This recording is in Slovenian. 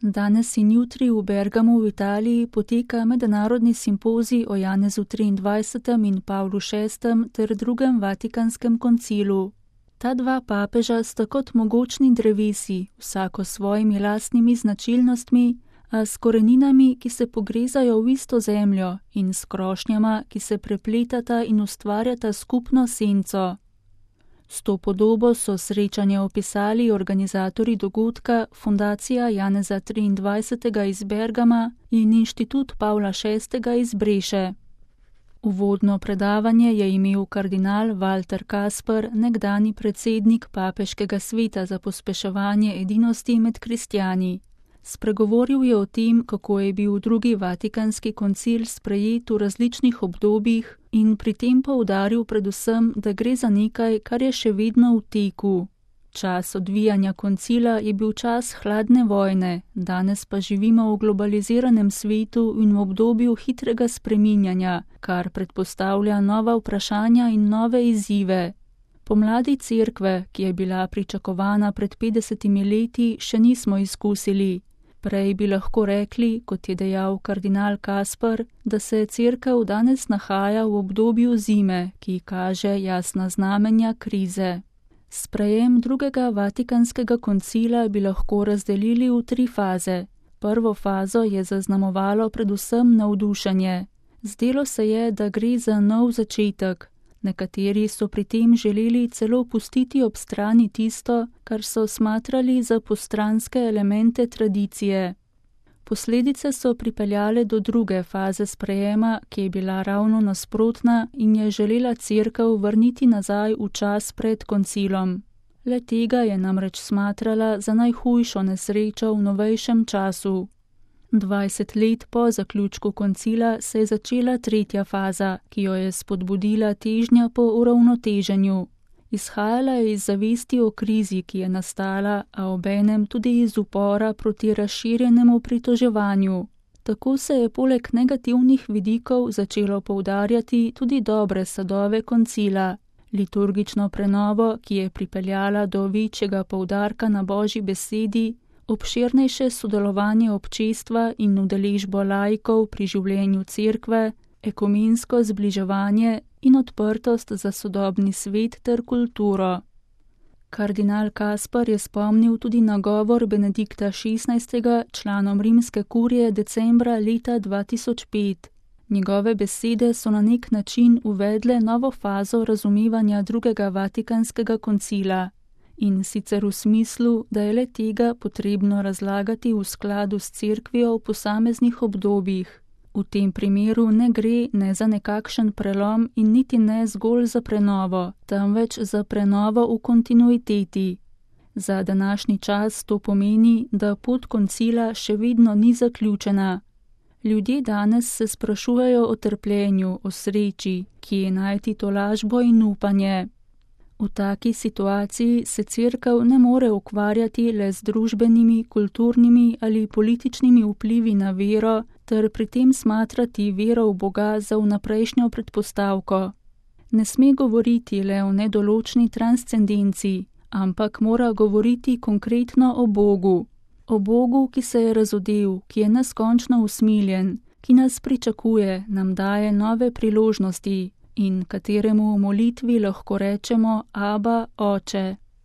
Danes in jutri v Bergamu v Italiji poteka mednarodni simpozij o Janezu 23. in Pavlu VI. Ter drugem Vatikanskem koncilu. Ta dva papeža sta kot mogočni drevesi, vsako s svojimi lastnimi značilnostmi, a s koreninami, ki se pogrezajo v isto zemljo, in s krošnjama, ki se prepletata in ustvarjata skupno senco. S to podobo so srečanje opisali organizatorji dogodka Fundacija Janeza 23. iz Bergama in Inštitut Pavla VI. Iz Breše. Uvodno predavanje je imel kardinal Walter Kasper, nekdani predsednik Papeškega sveta za pospeševanje edinosti med kristjani. Spregovoril je o tem, kako je bil drugi Vatikanski koncil sprejet v različnih obdobjih in pri tem poudaril predvsem, da gre za nekaj, kar je še vedno v teku. Čas odvijanja koncila je bil čas hladne vojne, danes pa živimo v globaliziranem svetu in v obdobju hitrega spreminjanja, kar predpostavlja nova vprašanja in nove izzive. Pomladi cerkve, ki je bila pričakovana pred 50 leti, še nismo izkusili. Prej bi lahko rekli, kot je dejal kardinal Kasper, da se cerkev danes nahaja v obdobju zime, ki kaže jasna znamenja krize. Sprejem drugega Vatikanskega koncila bi lahko razdelili v 3 faze. Prvo fazo je zaznamovalo predvsem navdušenje. Zdelo se je, da gre za nov začetek. Nekateri so pri tem želeli celo pustiti ob strani tisto, kar so smatrali za postranske elemente tradicije. Posledice so pripeljale do druge faze sprejema, ki je bila ravno nasprotna in je želela cerkev vrniti nazaj v čas pred koncilom. Le tega je namreč smatrala za najhujšo nesrečo v novejšem času. 20 let po zaključku koncila se je začela tretja faza, ki jo je spodbudila težnja po uravnoteženju. Izhajala je iz zavesti o krizi, ki je nastala, a obenem tudi iz upora proti razširjenemu pritoževanju. Tako se je poleg negativnih vidikov začelo poudarjati tudi dobre sadove koncila. Liturgično prenovo, ki je pripeljala do večjega poudarka na Božji besedi, obširnejše sodelovanje občestva in udeležbo laikov pri življenju cerkve, ekumensko zbliževanje in odprtost za sodobni svet ter kulturo. Kardinal Kasper je spomnil tudi na govor Benedikta XVI. Članom rimske kurije decembra leta 2005. Njegove besede so na nek način uvedle novo fazo razumevanja drugega Vatikanskega koncila. In sicer v smislu, da je le tega potrebno razlagati v skladu s cerkvijo v posameznih obdobjih. V tem primeru ne gre ne za nekakšen prelom in niti ne zgolj za prenovo, temveč za prenovo v kontinuiteti. Za današnji čas to pomeni, da pot koncila še vedno ni zaključena. Ljudje danes se sprašujejo o trpljenju, o sreči, kje najti tolažbo in upanje. V taki situaciji se cerkev ne more ukvarjati le z družbenimi, kulturnimi ali političnimi vplivi na vero, ter pri tem smatrati vero v Boga za vnaprejšnjo predpostavko. Ne sme govoriti le o nedoločni transcendenci, ampak mora govoriti konkretno o Bogu. O Bogu, ki se je razodel, ki je neskončno usmiljen, ki nas pričakuje, nam daje nove priložnosti in kateremu v molitvi lahko rečemo Aba, Oče.